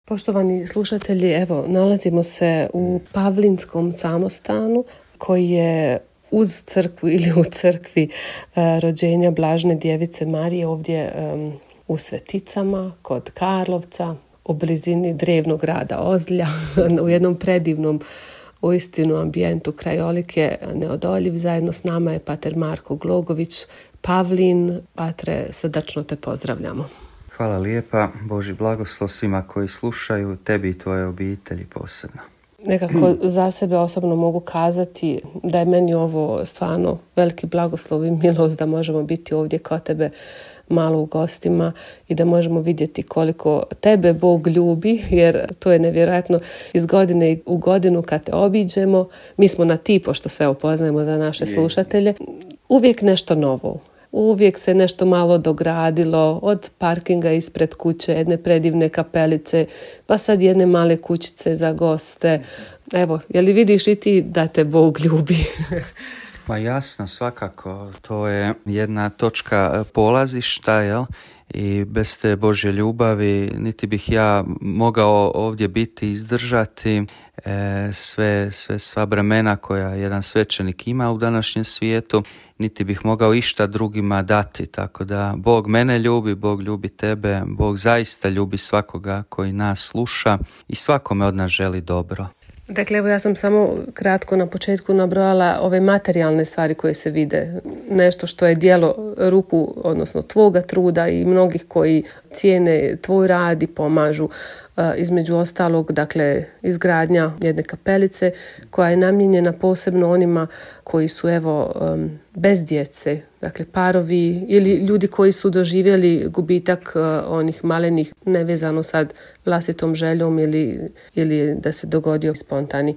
Poštovani slušatelji, evo, nalazimo se u Pavlinskom samostanu koji je uz crkvu ili u crkvi rođenja Blažene djevice Marije ovdje u Sveticama, kod Karlovca, u blizini drevnog grada Ozlja, u jednom predivnom uistinu ambijentu. Krajolik je neodoljiv. Zajedno s nama je pater Marko Glogović. Pavlin, patre, srdačno te pozdravljamo. Hvala lijepa, Božji blagoslov svima koji slušaju, tebi i tvoje obitelji posebno. Nekako za sebe osobno mogu kazati da je meni ovo stvarno veliki blagoslov i milost da možemo biti ovdje kod tebe malo u gostima i da možemo vidjeti koliko tebe Bog ljubi, jer to je nevjerojatno iz godine u godinu kad te obiđemo. Mi smo na ti, pošto se upoznajemo za naše slušatelje, uvijek nešto novo. Uvijek se nešto malo dogradilo, od parkinga ispred kuće, jedne predivne kapelice, pa sad jedne male kućice za goste. Evo, je li vidiš i ti da te Bog ljubi? Pa jasno, svakako. To je jedna točka polazišta, jel? I bez te Božje ljubavi niti bih ja mogao ovdje biti, izdržati sva bremena koja jedan svećenik ima u današnjem svijetu, niti bih mogao išta drugima dati. Tako da Bog mene ljubi, Bog ljubi tebe, Bog zaista ljubi svakoga koji nas sluša i svakome od nas želi dobro. Dakle, evo ja sam samo kratko na početku nabrojala ove materijalne stvari koje se vide. Nešto što je djelo ruku, odnosno tvoga truda i mnogih koji cijene tvoj rad i pomažu. Između ostalog, dakle, izgradnja jedne kapelice koja je namijenjena posebno onima koji su, evo, bez djece, dakle parovi ili ljudi koji su doživjeli gubitak onih malenih, nevezano sad vlastitom željom ili da se dogodio spontani.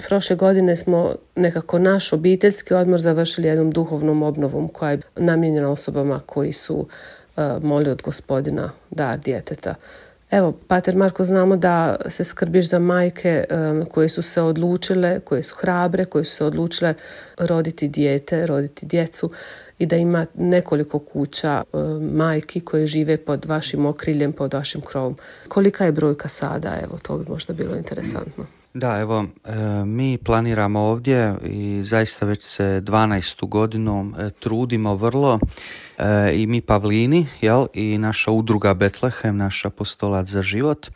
Prošle godine smo nekako naš obiteljski odmor završili jednom duhovnom obnovom koja je namijenjena osobama koji su molili od Gospodina dar djeteta. Evo, pater Marko, znamo da se skrbiš za majke koje su se odlučile, koje su hrabre, koje su se odlučile roditi dijete, roditi djecu i da ima nekoliko kuća majki koje žive pod vašim okriljem, pod vašim krovom. Kolika je brojka sada? Evo, to bi možda bilo interesantno. Da, evo, mi planiramo ovdje i zaista već se 12. godinu trudimo vrlo i mi Pavlini, jel, i naša udruga Betlehem, naš apostolat za život,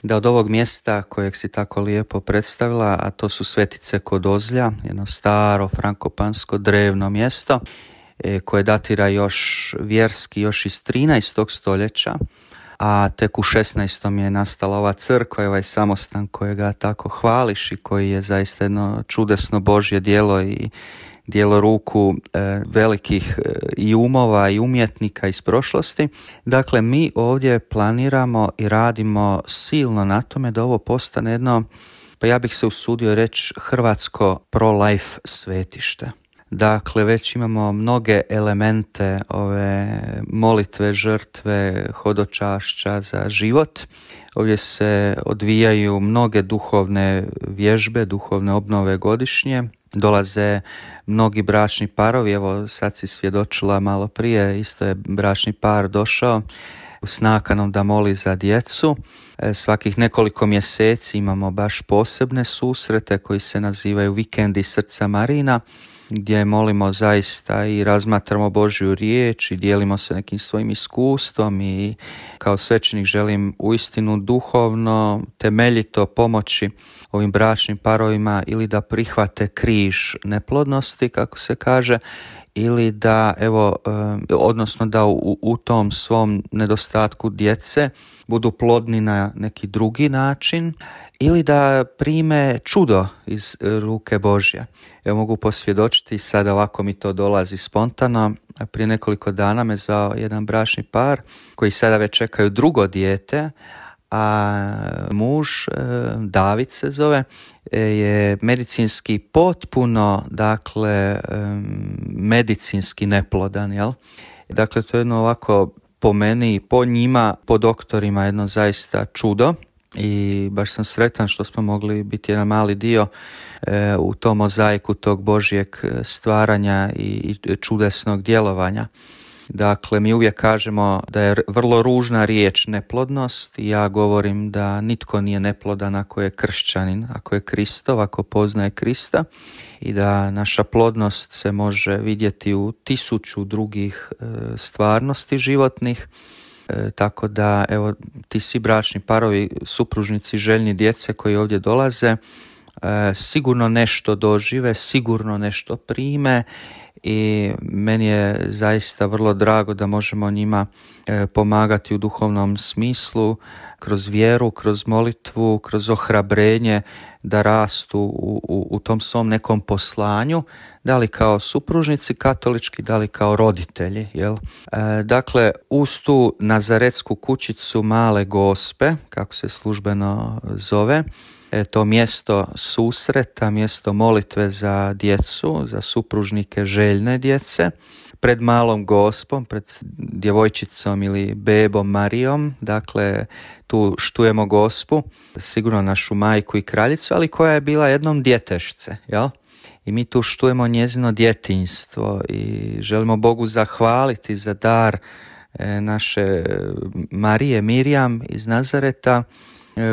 da od ovog mjesta kojeg si tako lijepo predstavila, a to su Svetice kod Ozlja, jedno staro frankopansko drevno mjesto koje datira još vjerski, još iz 13. stoljeća, a tek u 16. je nastala ova crkva i ovaj samostan kojega tako hvališ i koji je zaista jedno čudesno Božje djelo i djelo ruku velikih i umova i umjetnika iz prošlosti. Dakle, mi ovdje planiramo i radimo silno na tome da ovo postane jedno, pa ja bih se usudio reći, hrvatsko pro-life svetište. Dakle, već imamo mnoge elemente ove molitve, žrtve, hodočašća za život. Ovdje se odvijaju mnoge duhovne vježbe, duhovne obnove godišnje. Dolaze mnogi bračni parovi, evo sad si svjedočila malo prije, isto je bračni par došao s nakanom da moli za djecu. Svakih nekoliko mjeseci imamo baš posebne susrete koji se nazivaju Vikendi srca Marina, gdje molimo zaista i razmatramo Božju riječ i dijelimo se nekim svojim iskustvom i kao svećenik želim uistinu duhovno, temeljito pomoći ovim bračnim parovima ili da prihvate križ neplodnosti, kako se kaže, ili da, evo, odnosno da u tom svom nedostatku djece budu plodni na neki drugi način, ili da prime čudo iz ruke Božje. Ja mogu posvjedočiti, sad ovako mi to dolazi spontano, prije nekoliko dana me zvao jedan bračni par koji sada već čekaju drugo dijete, a muž, David se zove, je medicinski potpuno, dakle, medicinski neplodan, jel? Dakle, to je jedno ovako po meni, po njima, po doktorima, jedno zaista čudo. I baš sam sretan što smo mogli biti jedan mali dio u tom mozaiku tog Božjeg stvaranja i čudesnog djelovanja. Dakle, mi uvijek kažemo da je vrlo ružna riječ neplodnost i ja govorim da nitko nije neplodan ako je kršćanin, ako je Kristov, ako poznaje Krista, i da naša plodnost se može vidjeti u 1000 drugih stvarnosti životnih. Tako da, evo, ti svi bračni parovi, supružnici željni djece koji ovdje dolaze, sigurno nešto dožive, sigurno nešto prime i meni je zaista vrlo drago da možemo njima pomagati u duhovnom smislu, kroz vjeru, kroz molitvu, kroz ohrabrenje da rastu u tom svom nekom poslanju, da li kao supružnici katolički, da li kao roditelji. Jel? Dakle, uz tu nazaretsku kućicu Male Gospe, kako se službeno zove, to mjesto susreta, mjesto molitve za djecu, za supružnike željne djece, pred Malom Gospom, pred djevojčicom ili bebom Marijom, dakle tu štujemo Gospu, sigurno našu majku i kraljicu, ali koja je bila jednom djetešce, jel? I mi tu štujemo njezino djetinjstvo i želimo Bogu zahvaliti za dar naše Marije Mirjam iz Nazareta,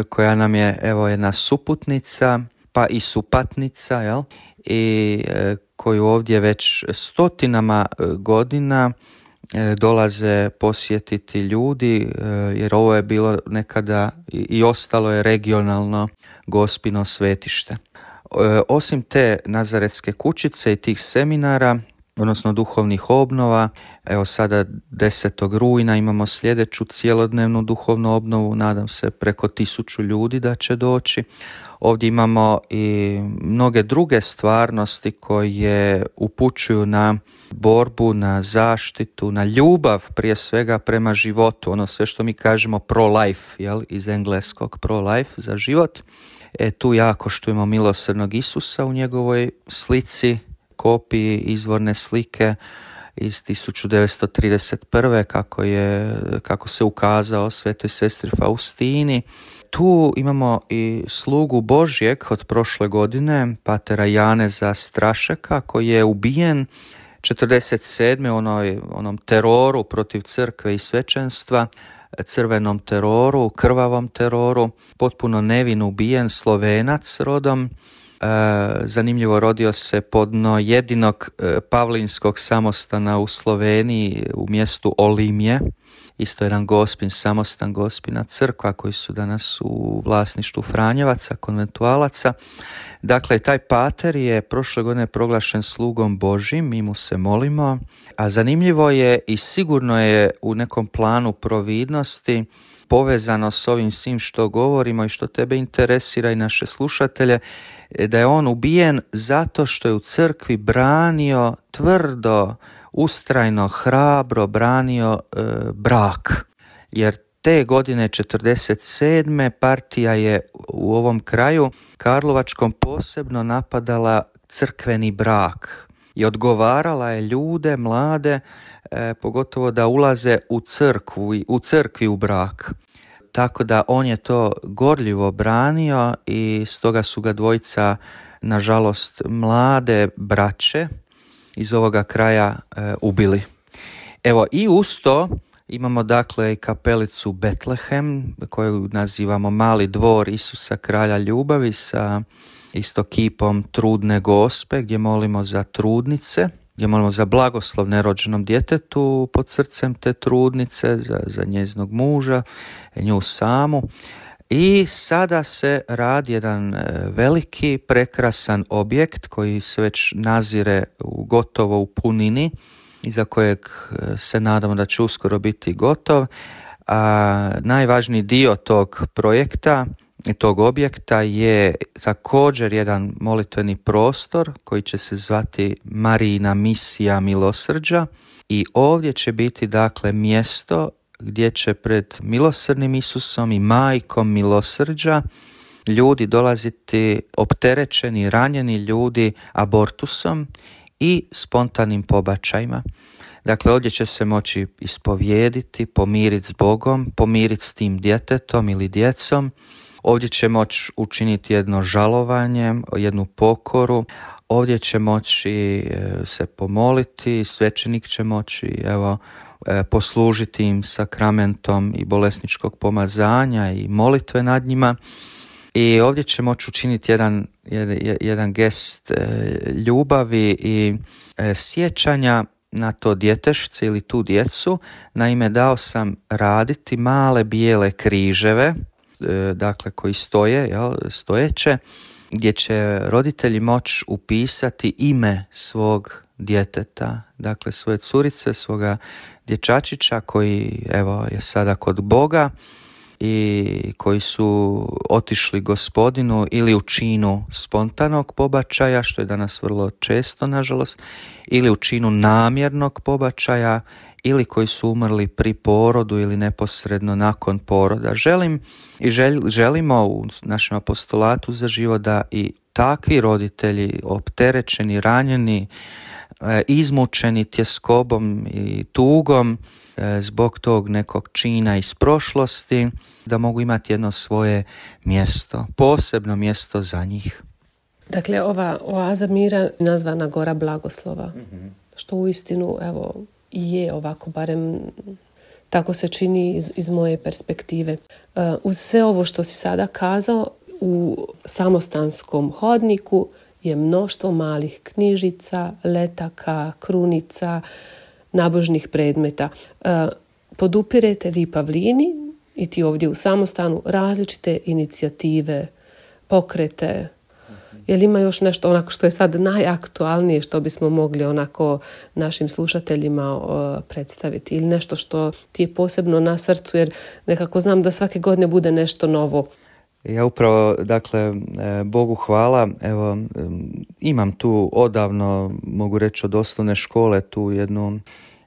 koja nam je, evo, jedna suputnica, pa i supatnica, jel? I koju ovdje već stotinama godina dolaze posjetiti ljudi, jer ovo je bilo nekada i ostalo je regionalno Gospino svetište. Osim te nazaretske kućice i tih seminara, odnosno duhovnih obnova, evo sada 10. rujna imamo sljedeću cjelodnevnu duhovnu obnovu, nadam se preko 1000 ljudi da će doći. Ovdje imamo i mnoge druge stvarnosti koje upućuju na borbu, na zaštitu, na ljubav prije svega prema životu, ono sve što mi kažemo pro-life, jel? Iz engleskog pro-life, za život. Tu jako štujemo milosrdnog Isusa u njegovoj slici, kopiji izvorne slike iz 1931. kako se ukazao svetoj sestri Faustini. Tu imamo i slugu Božjeg od prošle godine, patera Janeza Strašeka, koji je ubijen 1947. onom teroru protiv crkve i svećenstva, crvenom teroru, krvavom teroru, potpuno nevin ubijen, Slovenac rodom. Zanimljivo, rodio se podno jedinog pavlinskog samostana u Sloveniji u mjestu Olimje, isto jedan Gospin samostan, Gospina crkva koji su danas u vlasništvu Franjevaca, konventualaca. Dakle, taj pater je prošle godine proglašen slugom Božjim, mi mu se molimo, a zanimljivo je i sigurno je u nekom planu providnosti povezano s ovim svim što govorimo i što tebe interesira i naše slušatelje, da je on ubijen zato što je u crkvi branio tvrdo, ustrajno, hrabro branio brak. Jer te godine 1947. partija je u ovom kraju karlovačkom posebno napadala crkveni brak i odgovarala je ljude, mlade, pogotovo da ulaze u crkvi u brak. Tako da on je to gorljivo branio i stoga su ga dvojica, nažalost mlade braće iz ovoga kraja ubili. Evo, i uz to imamo dakle i kapelicu Betlehem, koju nazivamo Mali dvor Isusa kralja ljubavi, sa isto kipom trudne Gospe, gdje molimo za trudnice, gdje molimo za blagoslov nerođenom djetetu pod srcem te trudnice, za njezinog muža, nju samu. I sada se radi jedan veliki, prekrasan objekt koji se već nazire gotovo u punini i za kojeg se nadamo da će uskoro biti gotov. A najvažniji dio tog projekta, tog objekta, je također jedan molitveni prostor koji će se zvati Marijina misija milosrđa i ovdje će biti dakle mjesto gdje će pred milosrdnim Isusom i majkom milosrđa ljudi dolaziti opterećeni, ranjeni ljudi abortusom i spontanim pobačajima. Dakle, ovdje će se moći ispovijediti, pomiriti s Bogom, pomiriti s tim djetetom ili djecom. Ovdje će moći učiniti jedno žalovanje, jednu pokoru. Ovdje će moći se pomoliti, svećenik će moći poslužiti im sakramentom i bolesničkog pomazanja i molitve nad njima. I ovdje će moći učiniti jedan gest ljubavi i sjećanja na to djetešce ili tu djecu. Naime, dao sam raditi male bijele križeve, dakle koji stoje, stojeće, gdje će roditelji moći upisati ime svog djeteta, dakle svoje curice, svoga dječačića koji je sada kod Boga i koji su otišli Gospodinu ili u činu spontanog pobačaja, što je danas vrlo često, nažalost, ili u činu namjernog pobačaja, ili koji su umrli pri porodu ili neposredno nakon poroda. Želimo u našem apostolatu za život da i takvi roditelji, opterećeni, ranjeni, izmučeni tjeskobom i tugom zbog tog nekog čina iz prošlosti, da mogu imati jedno svoje mjesto, posebno mjesto za njih. Dakle, ova oaza mira nazvana Gora Blagoslova, što uistinu i je ovako, barem tako se čini iz moje perspektive. Uz sve ovo što si sada kazao, u samostanskom hodniku je mnoštvo malih knjižica, letaka, krunica, nabožnih predmeta. Podupirete vi Pavlini i ti ovdje u samostanu različite inicijative, pokrete. Je li ima još nešto onako što je sad najaktualnije što bismo mogli onako našim slušateljima predstaviti, ili nešto što ti je posebno na srcu, jer nekako znam da svake godine bude nešto novo? Ja upravo, dakle, Bogu hvala, imam tu odavno, mogu reći od osnovne škole, tu jednu,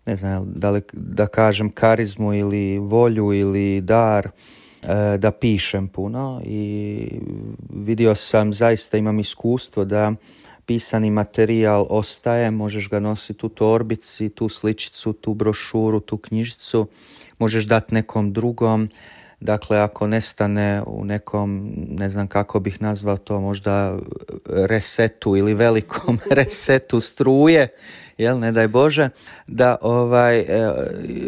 ne znam da kažem karizmu ili volju ili dar da pišem puno, i vidio sam, zaista imam iskustvo da pisani materijal ostaje, možeš ga nositi u torbici, tu sličicu, tu brošuru, tu knjižicu, možeš dati nekom drugom. Dakle, ako nestane u nekom, ne znam kako bih nazvao to, možda resetu ili velikom resetu struje, ne daj Bože, da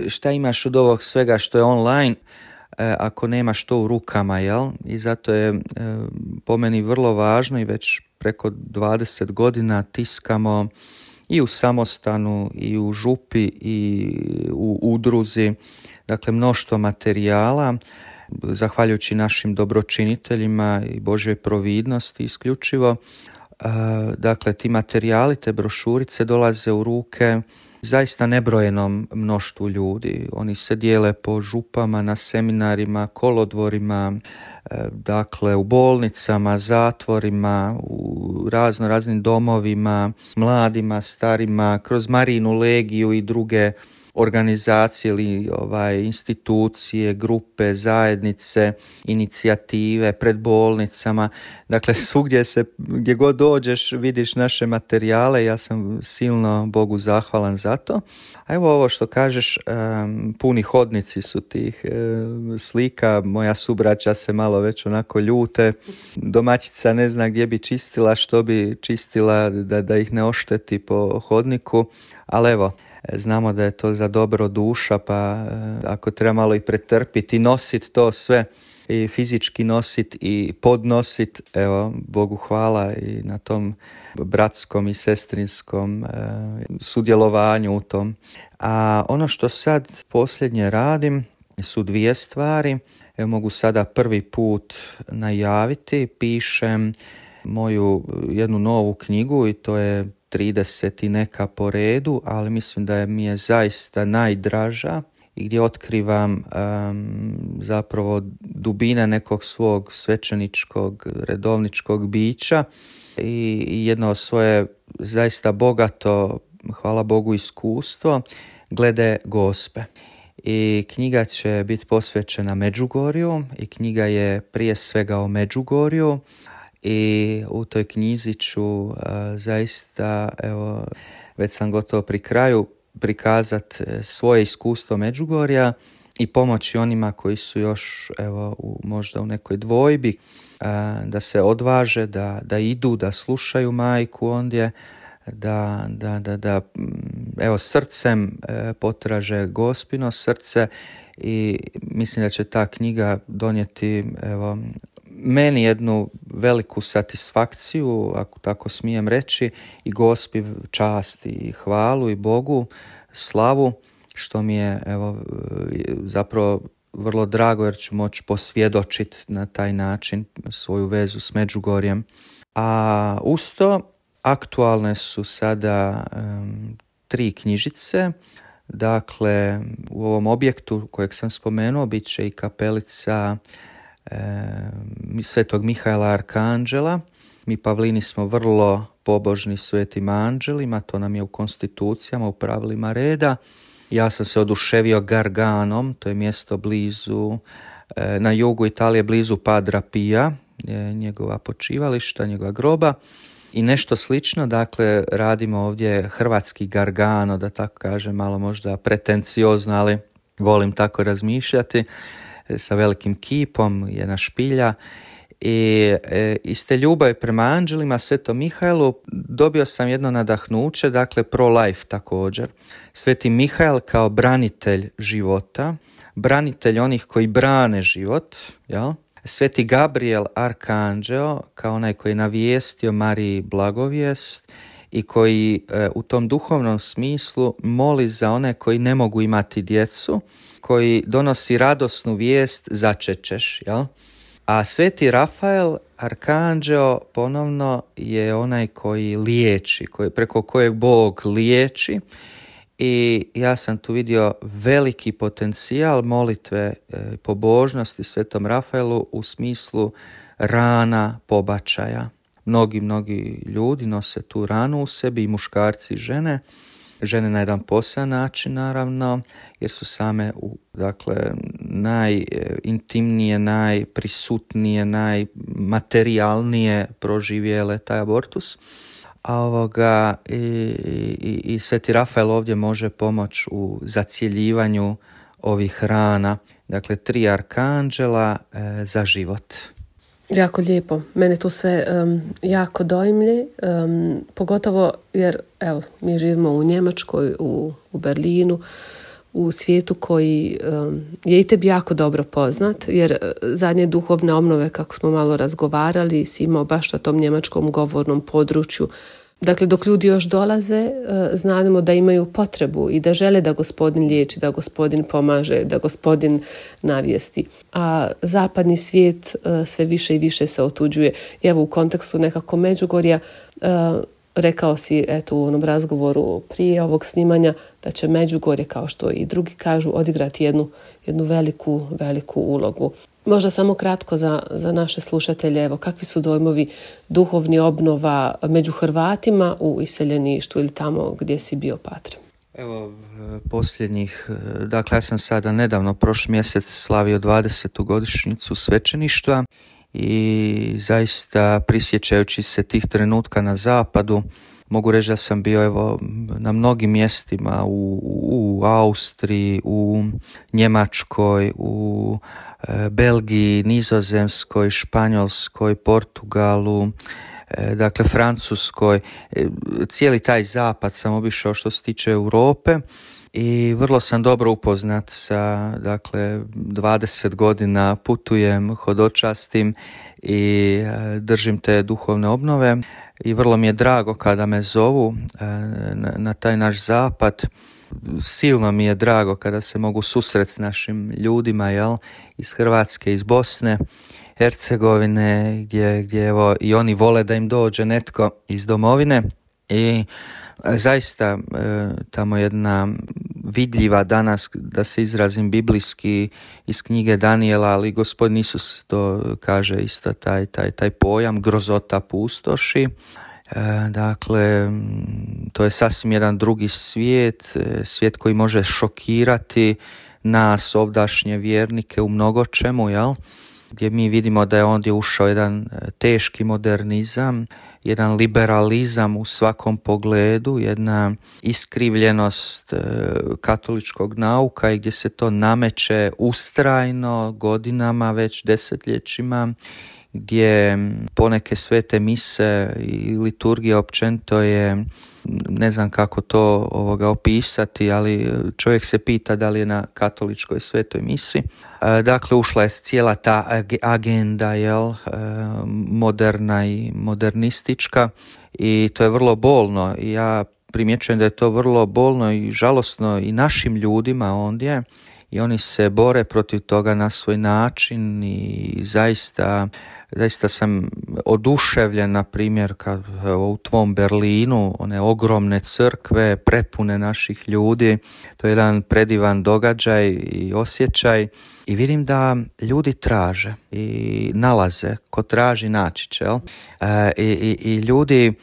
šta imaš od ovog svega što je online, ako nemaš to u rukama, I zato je po meni vrlo važno, i već preko 20 godina tiskamo i u samostanu, i u župi, i u udruzi, dakle mnoštvo materijala, zahvaljujući našim dobročiniteljima i Božjoj providnosti isključivo. Dakle, ti materijali, te brošurice dolaze u ruke zaista nebrojenom mnoštvu ljudi. Oni se dijele po župama, na seminarima, kolodvorima, dakle u bolnicama, zatvorima, u raznim domovima, mladima, starima, kroz Marijinu legiju i druge organizacije ili institucije, grupe, zajednice, inicijative, pred bolnicama. Dakle, svugdje gdje god dođeš vidiš naše materijale. Ja sam silno Bogu zahvalan za to. A evo ovo što kažeš, puni hodnici su tih slika. Moja subraća se malo već onako ljute. Domaćica ne zna gdje bi čistila, što bi čistila da ih ne ošteti po hodniku. Ali evo, znamo da je to za dobro duša, pa ako treba malo i pretrpiti, nositi to sve, i fizički nositi i podnositi, evo, Bogu hvala i na tom bratskom i sestrinskom sudjelovanju u tom. A ono što sad posljednje radim su dvije stvari. Evo, mogu sada prvi put najaviti, pišem moju jednu novu knjigu, i to je 30 i neka po redu, ali mislim da mi je zaista najdraža, i gdje otkrivam zapravo dubine nekog svog svećeničkog, redovničkog bića i jedno svoje zaista bogato, hvala Bogu, iskustvo glede Gospe. I knjiga će biti posvećena Međugorju, i knjiga je prije svega o Međugorju, i u toj knjizi ću zaista, evo, već sam gotovo pri kraju, prikazati svoje iskustvo Međugorja i pomoći onima koji su još, evo, možda u nekoj dvojbi, da se odvaže, da idu, da slušaju majku ondje, da evo srcem potraže Gospino srce i mislim da će ta knjiga donijeti evo meni jednu veliku satisfakciju, ako tako smijem reći, i Gospi čast i hvalu i Bogu slavu, što mi je evo zapravo vrlo drago jer ću moći posvjedočiti na taj način svoju vezu s Međugorjem. A uz to aktualne su sada 3 knjižice. Dakle, u ovom objektu kojeg sam spomenuo bit će i kapelica Svetog Mihaela Arkanđela. Mi Pavlini smo vrlo pobožni svetim anđelima, to nam je u konstitucijama, u pravilima reda. Ja sam se oduševio Garganom, to je mjesto blizu, na jugu Italije, blizu Padra Pija, njegova počivališta, njegova groba. I nešto slično, dakle, radimo ovdje hrvatski Gargano, da tako kažem, malo možda pretenciozno, ali volim tako razmišljati, sa velikim kipom, jedna špilja. I iz te ljubavi prema anđelima, Svetom Mihaelu, dobio sam jedno nadahnuće, dakle pro-life također. Sveti Mihael kao branitelj života, branitelj onih koji brane život, jel? Sveti Gabriel Arkanđeo kao onaj koji je navijestio Mariji blagovijest i koji u tom duhovnom smislu moli za one koji ne mogu imati djecu, koji donosi radosnu vijest začećeš, jel? A sveti Rafael Arkanđeo ponovno je onaj koji liječi, preko kojeg Bog liječi. I ja sam tu vidio veliki potencijal molitve pobožnosti Svetom Rafaelu u smislu rana pobačaja. Mnogi ljudi nose tu ranu u sebi, i muškarci i žene. Žene na jedan poseban način, naravno, jer su same najintimnije, najprisutnije, najmaterijalnije proživjele taj abortus. A i Sveti Rafael ovdje može pomoći u zacjeljivanju ovih rana. Dakle, 3 arkanđela za život. Jako lijepo. Mene to sve jako dojmlje, pogotovo jer evo, mi živimo u Njemačkoj, u Berlinu, u svijetu koji je i tebi jako dobro poznat, jer zadnje duhovne obnove, kako smo malo razgovarali, si imao baš na tom njemačkom govornom području. Dakle, dok ljudi još dolaze, znamo da imaju potrebu i da žele da Gospodin liječi, da Gospodin pomaže, da Gospodin navijesti. A zapadni svijet sve više i više se otuđuje. I evo, u kontekstu nekako Međugorja, rekao si eto u onom razgovoru prije ovog snimanja da će Međugorje, kao što i drugi kažu, odigrati jednu veliku ulogu. Možda samo kratko za naše slušatelje, evo, kakvi su dojmovi duhovni obnova među Hrvatima u iseljeništvu ili tamo gdje si bio, Patre? Evo, posljednjih, dakle ja sam sada nedavno, prošli mjesec, slavio 20. godišnjicu svećeništva i zaista prisjećajući se tih trenutka na zapadu, mogu reći da sam bio evo na mnogim mjestima u Austriji, u Njemačkoj, u Belgiji, Nizozemskoj, Španjolskoj, Portugalu, dakle Francuskoj. Cijeli taj zapad sam obišao što se tiče Europe i vrlo sam dobro upoznat sa, dakle, 20 godina putujem, hodočastim i držim te duhovne obnove. I vrlo mi je drago kada me zovu na taj naš zapad. Silno mi je drago kada se mogu susreti s našim ljudima, jel, iz Hrvatske, iz Bosne, Hercegovine, gdje evo i oni vole da im dođe netko iz domovine. I zaista tamo jedna vidljiva danas, da se izrazim biblijski, iz knjige Danijela, ali Gospodin Isus to kaže isto taj pojam grozota pustoši. Dakle, to je sasvim jedan drugi svijet koji može šokirati nas ovdašnje vjernike u mnogo čemu, jel? Gdje mi vidimo da je ondje ušao jedan teški modernizam, jedan liberalizam u svakom pogledu, jedna iskrivljenost katoličkog nauka i gdje se to nameće ustrajno godinama, već desetljećima, gdje poneke svete mise i liturgija općenito je, ne znam kako to opisati, ali čovjek se pita da li je na katoličkoj svetoj misi. Dakle, ušla je cijela ta agenda, moderna i modernistička, i to je vrlo bolno. Ja primjećujem da je to vrlo bolno i žalosno i našim ljudima ondje, i oni se bore protiv toga na svoj način, i zaista sam oduševljen, na primjer, kad u tvom Berlinu, one ogromne crkve prepune naših ljudi, to je jedan predivan događaj i osjećaj, i vidim da ljudi traže i nalaze, ko traži naći će, i ljudi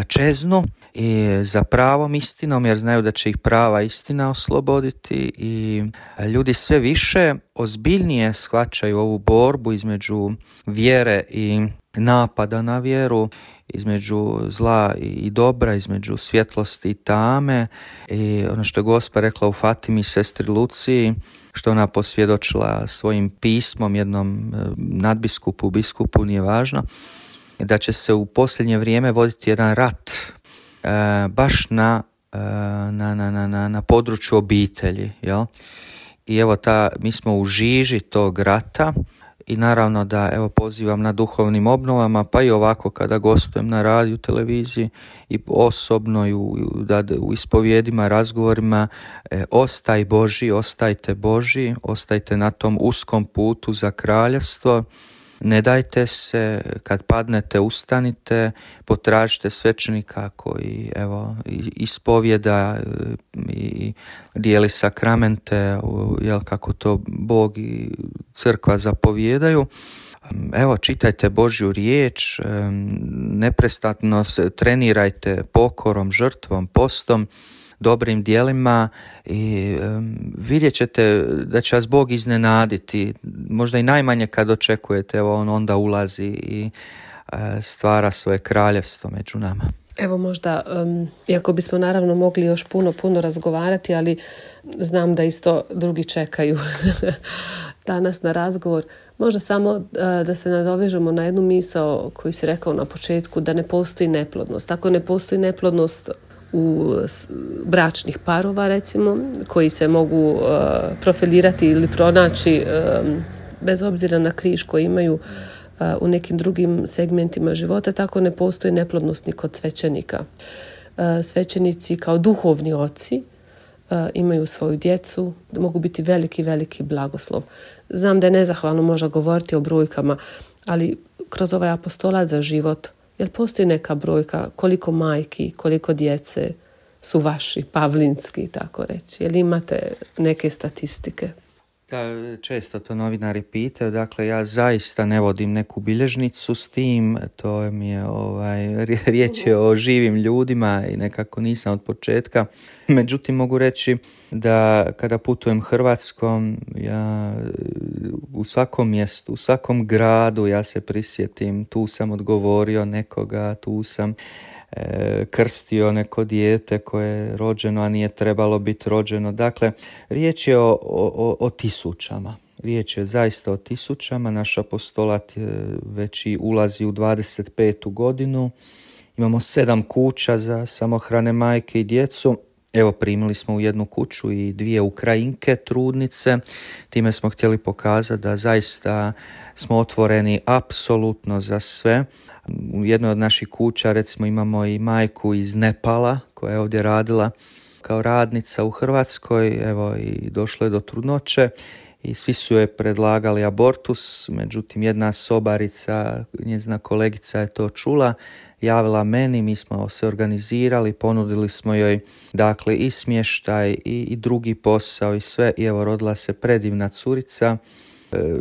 čeznu i za pravom istinom, jer znaju da će ih prava istina osloboditi, i ljudi sve više ozbiljnije shvaćaju ovu borbu između vjere i napada na vjeru, između zla i dobra, između svjetlosti i tame, i ono što je Gospa rekla u Fatimi sestri Luciji, što ona posvjedočila svojim pismom jednom nadbiskupu, biskupu, nije važno, da će se u posljednje vrijeme voditi jedan rat baš na području obitelji, jel? I evo mi smo u žiži tog rata, i naravno da pozivam na duhovnim obnovama, pa i ovako kada gostujem na radiju, televiziji i osobno i u ispovjedima, razgovorima, ostaj Božji, ostajte Božji, ostajte na tom uskom putu za kraljevstvo. Ne dajte se, kad padnete ustanite, potražite svećenika koji ispovjeda i dijeli sakramente, kako to Bog i crkva zapovjedaju. Čitajte Božju riječ, neprestano se trenirajte pokorom, žrtvom, postom, dobrim dijelima, i vidjet ćete da će vas Bog iznenaditi. Možda i najmanje kad očekujete, on onda ulazi i stvara svoje kraljevstvo među nama. Evo možda, iako bismo naravno mogli još puno razgovarati, ali znam da isto drugi čekaju danas na razgovor. Možda samo da se nadovežemo na jednu misao koju si rekao na početku, da ne postoji neplodnost. Ako ne postoji neplodnost u bračnih parova, recimo, koji se mogu profilirati ili pronaći bez obzira na križ koji imaju u nekim drugim segmentima života, tako ne postoji neplodnost ni kod svećenika. Svećenici kao duhovni oci imaju svoju djecu, mogu biti veliki blagoslov. Znam da je nezahvalno možda govoriti o brojkama, ali kroz ovaj apostolat za život, jel postoji neka brojka koliko majki, koliko djece su vaši, pavlinski, tako reći? Jel imate neke statistike? Da, često to novinari pitaju, dakle ja zaista ne vodim neku bilježnicu s tim, to mi je riječ je o živim ljudima i nekako nisam od početka. Međutim, mogu reći da kada putujem Hrvatskom, ja u svakom mjestu, u svakom gradu ja se prisjetim, tu sam odgovorio nekoga, tu sam krstio neko dijete koje je rođeno, a nije trebalo biti rođeno. Dakle, riječ je o tisućama. Riječ je zaista o tisućama. Naš apostolat već i ulazi u 25. godinu. Imamo 7 kuća za samohrane majke i djecu. Evo, primili smo u jednu kuću i 2 Ukrajinke, trudnice. Time smo htjeli pokazati da zaista smo otvoreni apsolutno za sve. U jednoj od naših kuća, recimo, imamo i majku iz Nepala koja je ovdje radila kao radnica u Hrvatskoj. Evo, i došlo je do trudnoće i svi su joj predlagali abortus. Međutim, jedna sobarica, njezina kolegica je to čula, javila meni, mi smo se organizirali, ponudili smo joj dakle i smještaj i drugi posao i sve, i evo rodila se predivna curica.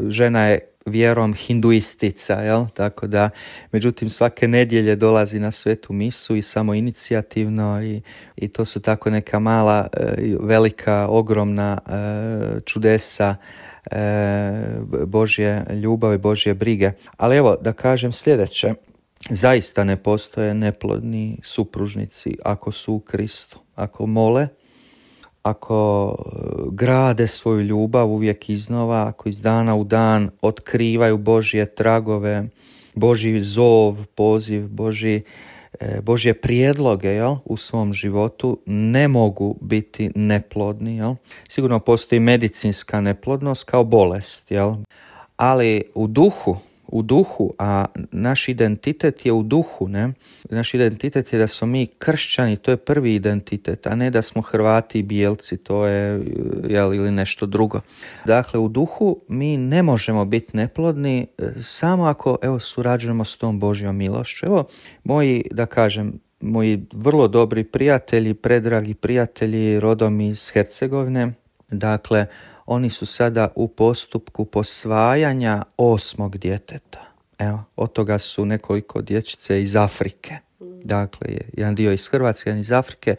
Žena je vjerom hinduistica, jel? Tako da, međutim, svake nedjelje dolazi na svetu misu i samo inicijativno, i to su tako neka mala, velika, ogromna čudesa Božje ljubavi, Božje brige. Ali evo, da kažem sljedeće. Zaista ne postoje neplodni supružnici ako su u Kristu. Ako mole, ako grade svoju ljubav uvijek iznova, ako iz dana u dan otkrivaju Božje tragove, Božji zov, poziv, Božje prijedloge, jel, u svom životu, ne mogu biti neplodni. Jel. Sigurno postoji medicinska neplodnost kao bolest, jel. Ali u duhu, a naš identitet je u duhu, ne? Naš identitet je da smo mi kršćani, to je prvi identitet, a ne da smo Hrvati i Bijelci, to je ili nešto drugo. Dakle, u duhu mi ne možemo biti neplodni samo ako surađujemo s tom Božjom milošću. Moji vrlo dobri prijatelji, predragi prijatelji rodom iz Hercegovine, dakle, oni su sada u postupku posvajanja 8. djeteta. Evo, od toga su nekoliko dječice iz Afrike. Dakle, jedan dio iz Hrvatske, jedan iz Afrike.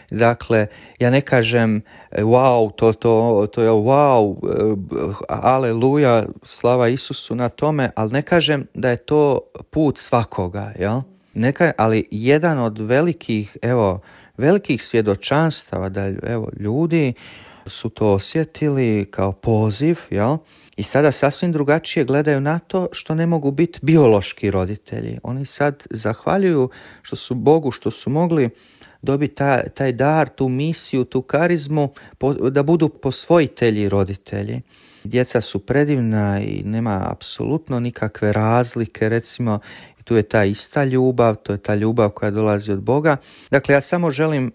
Dakle, ja ne kažem wow, to je wow, aleluja, slava Isusu na tome, ali ne kažem da je to put svakoga, jel? Ali jedan od velikih svjedočanstava da ljudi su to osjetili kao poziv, jel? I sada sasvim drugačije gledaju na to što ne mogu biti biološki roditelji. Oni sad zahvaljuju što su Bogu, što su mogli dobiti taj dar, tu misiju, tu karizmu, da budu posvojitelji roditelji. Djeca su predivna i nema apsolutno nikakve razlike, recimo, tu je ta ista ljubav, to je ta ljubav koja dolazi od Boga. Dakle, ja samo želim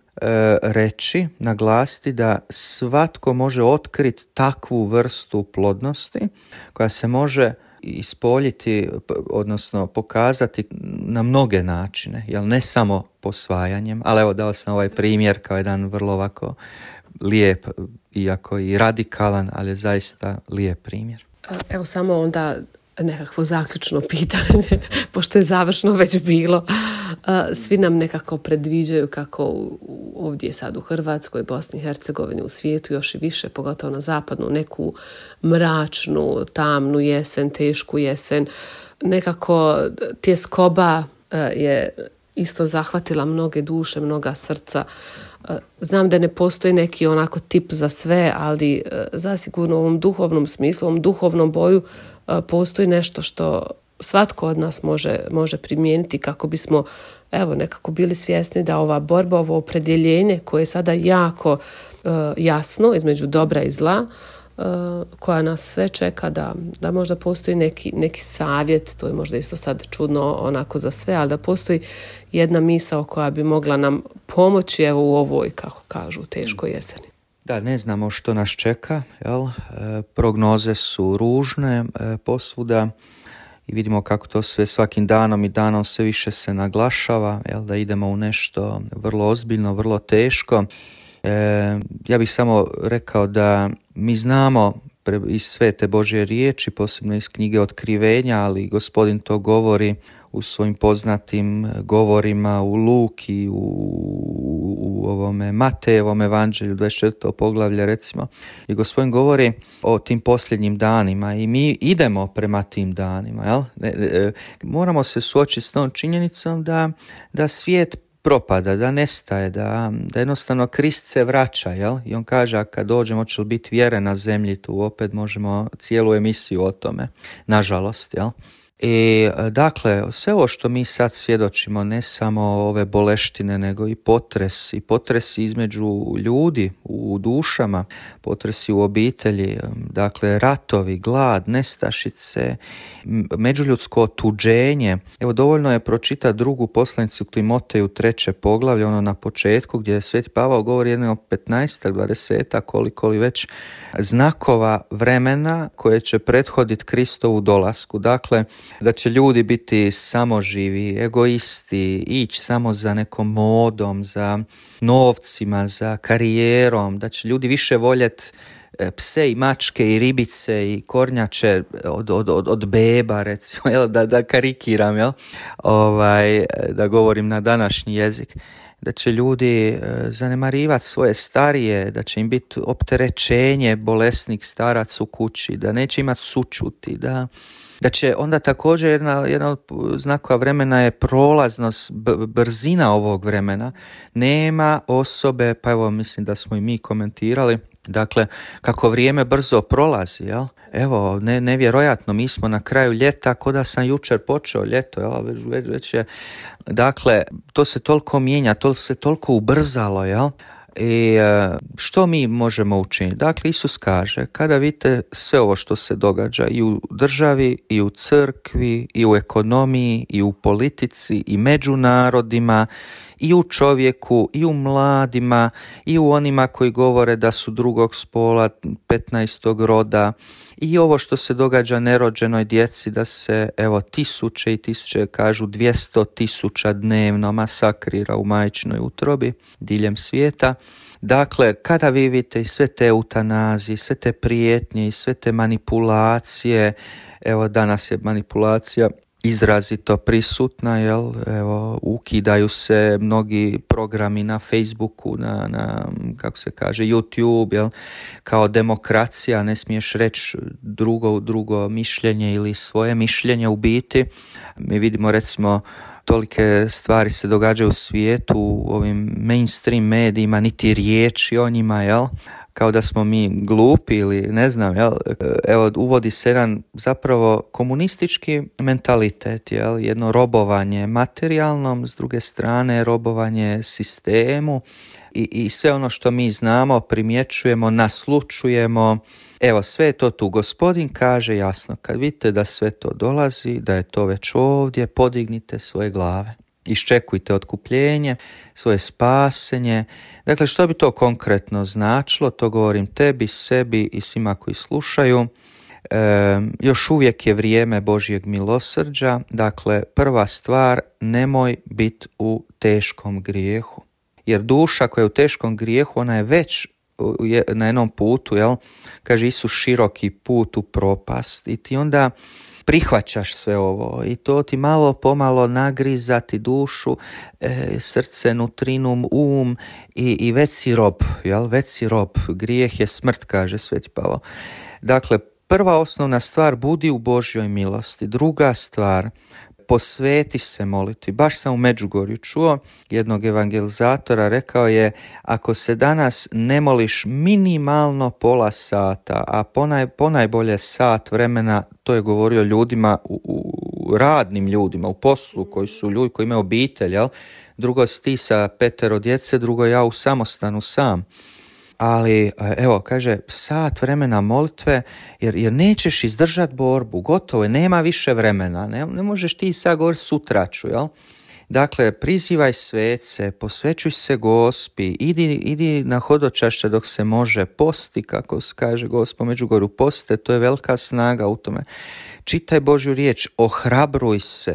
reći, naglasiti da svatko može otkriti takvu vrstu plodnosti koja se može ispoljiti, odnosno pokazati na mnoge načine, jel, ne samo posvajanjem, ali evo dao sam ovaj primjer kao jedan vrlo ovako lijep, iako i radikalan, ali zaista lijep primjer. Evo samo onda nekakvo zaključno pitanje, pošto je završno već bilo. Svi nam nekako predviđaju kako ovdje sad u Hrvatskoj, Bosni i Hercegovini, u svijetu još i više, pogotovo na zapadu, neku mračnu, tamnu jesen, tešku jesen. Nekako tjeskoba je isto zahvatila mnoge duše, mnoga srca. Znam da ne postoji neki onako tip za sve, ali zasigurno u ovom duhovnom smislu, u ovom duhovnom boju postoji nešto što svatko od nas može primijeniti kako bismo nekako bili svjesni da ova borba, ovo opredjeljenje koje je sada jako jasno između dobra i zla, koja nas sve čeka, da možda postoji neki savjet, to je možda isto sad čudno onako za sve, ali da postoji jedna misao koja bi mogla nam pomoći u ovoj, kako kažu, teškoj jeseni. Da, ne znamo što nas čeka, jel? Prognoze su ružne posvuda i vidimo kako to sve svakim danom i danom sve više se naglašava, jel? Da idemo u nešto vrlo ozbiljno, vrlo teško. Ja bih samo rekao da mi znamo iz svete Božje riječi, posebno iz knjige Otkrivenja, ali Gospodin to govori u svojim poznatim govorima u Luki, u ovome Matejevom evanđelju, 24. poglavlje recimo, i Gospodin govori o tim posljednjim danima i mi idemo prema tim danima. Jel? Moramo se suočiti s tom činjenicom da svijet propada, da nestaje, da jednostavno Krist se vraća, jel? I on kaže, a kad dođemo će li biti vjere na zemlji, tu opet možemo cijelu emisiju o tome, nažalost, jel? I dakle, sve ovo što mi sad svjedočimo, ne samo ove boleštine, nego i potresi između ljudi u dušama, potresi u obitelji, dakle ratovi, glad, nestašice, međuljudsko otuđenje. Evo, dovoljno je pročitati drugu poslanicu Timoteju 3. poglavlje, ono na početku, gdje Sveti Pavao govori jedno 15, 20, koliko li već znakova vremena koje će prethoditi Kristovu dolasku. Dakle, da će ljudi biti samoživi, egoisti, ići samo za nekom modom, za novcima, za karijerom, da će ljudi više voljeti pse i mačke i ribice i kornjače od beba, recimo, da karikiram, jel? Da govorim na današnji jezik. Da će ljudi zanemarivati svoje starije, da će im biti opterećenje bolesnih starac u kući, da neće imati sućuti, da Da će onda također jedna od znakova vremena je prolaznost, brzina ovog vremena. Nema osobe, pa evo mislim da smo i mi komentirali, dakle, kako vrijeme brzo prolazi, jel? Evo, nevjerojatno, mi smo na kraju ljeta, ko da sam jučer počeo ljeto, jel? Već je, dakle, to se toliko mijenja, to se toliko ubrzalo, jel? I što mi možemo učiniti? Dakle, Isus kaže, kada vidite sve ovo što se događa i u državi, i u crkvi, i u ekonomiji, i u politici, i među narodima, i u čovjeku, i u mladima, i u onima koji govore da su drugog spola, 15. roda, i ovo što se događa nerođenoj djeci, da se, evo, tisuće i tisuće, kažu 200.000 dnevno masakrira u majčinoj utrobi diljem svijeta. Dakle, kada vi vidite i sve te eutanazije, sve te prijetnje i sve te manipulacije, evo danas je manipulacija izrazito prisutna, jel? Evo, ukidaju se mnogi programi na Facebooku, na kako se kaže, YouTube, jel? Kao demokracija, ne smiješ reći drugo mišljenje ili svoje mišljenje u biti. Mi vidimo, recimo, tolike stvari se događaju u svijetu, u ovim mainstream medijima, niti riječi o njima, jel? Kao da smo mi glupi ili ne znam, jel? Evo, uvodi se jedan zapravo komunistički mentalitet, jel? Jedno robovanje materijalnom, s druge strane robovanje sistemu i sve ono što mi znamo, primjećujemo, naslučujemo. Evo, sve je to tu. Gospodin kaže jasno, kad vidite da sve to dolazi, da je to već ovdje, podignite svoje glave. Iščekujte otkupljenje, svoje spasenje. Dakle, što bi to konkretno značilo? To govorim tebi, sebi i svima koji slušaju. Još uvijek je vrijeme Božjeg milosrđa. Dakle, prva stvar, nemoj biti u teškom grijehu. Jer duša koja je u teškom grijehu, ona je već na jednom putu, jel? Kaže Isus, široki put u propast. I ti onda prihvaćaš sve ovo i to ti malo pomalo nagrizati dušu, srce, nutrinu, i već si rob, jel? Već si rob. Grijeh je smrt, kaže Sveti Pavao. Dakle, prva osnovna stvar, budi u Božjoj milosti. Druga stvar, posveti se moliti. Baš sam u Međugorju čuo jednog evangelizatora, rekao je, ako se danas ne moliš minimalno pola sata, a ponajbolje sat vremena, to je govorio ljudima, radnim ljudima, u poslu, koji su ljudi koji imaju obitelj, jel? Drugo si ti sa 5 djece, drugo ja u samostanu sam. Ali, evo, kaže, sat vremena molitve, jer nećeš izdržati borbu, gotovo je, nema više vremena, ne možeš ti sad govoriti sutra ću, jel? Dakle, prizivaj svece, posvećuj se Gospi, idi na hodočašće dok se može, posti, kako se kaže Gospo Međugorju, poste, to je velika snaga u tome. Čitaj Božju riječ,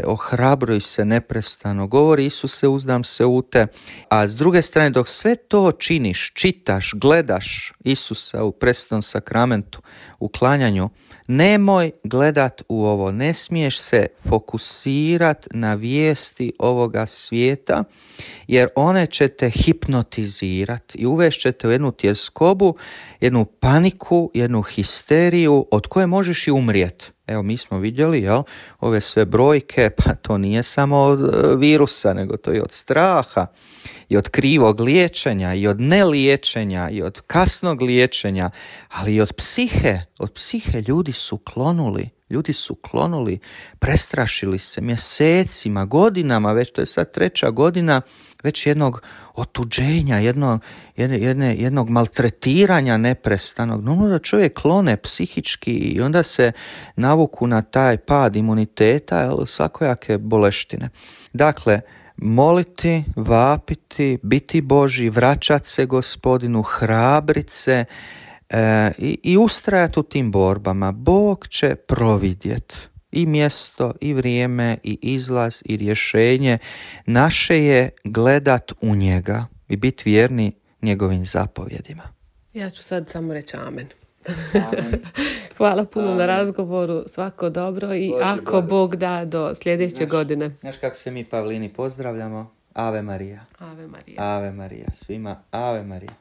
ohrabruj se neprestano. Govori Isuse, uzdam se u te. A s druge strane, dok sve to činiš, čitaš, gledaš Isusa u presvetom sakramentu, u klanjanju, nemoj gledat u ovo. Ne smiješ se fokusirat na vijesti ovoga svijeta, jer one će te hipnotizirati i uvešćete u jednu tjeskobu, jednu paniku, jednu histeriju od koje možeš i umrijeti. Evo, mi smo vidjeli, jel, ove sve brojke, pa to nije samo od virusa, nego to je od straha i od krivog liječenja i od neliječenja i od kasnog liječenja, ali i od psihe. Od psihe ljudi su klonuli, prestrašili se mjesecima, godinama, već to je sad 3. godina, već jednog otuđenja, jednog maltretiranja neprestanog. No, da čovjek klone psihički i onda se navuku na taj pad imuniteta, svakojake boleštine. Dakle, moliti, vapiti, biti Božji, vraćati se Gospodinu, hrabrit se i ustrajati u tim borbama. Bog će providjeti i mjesto, i vrijeme, i izlaz, i rješenje. Naše je gledat u njega i biti vjerni njegovim zapovjedima. Ja ću sad samo reći amen. Hvala puno na razgovoru, svako dobro i Boži ako Bog da do sljedeće godine. Znaš kako se mi Pavlini pozdravljamo? Ave Marija. Ave Marija. Ave Marija. Svima Ave Marija.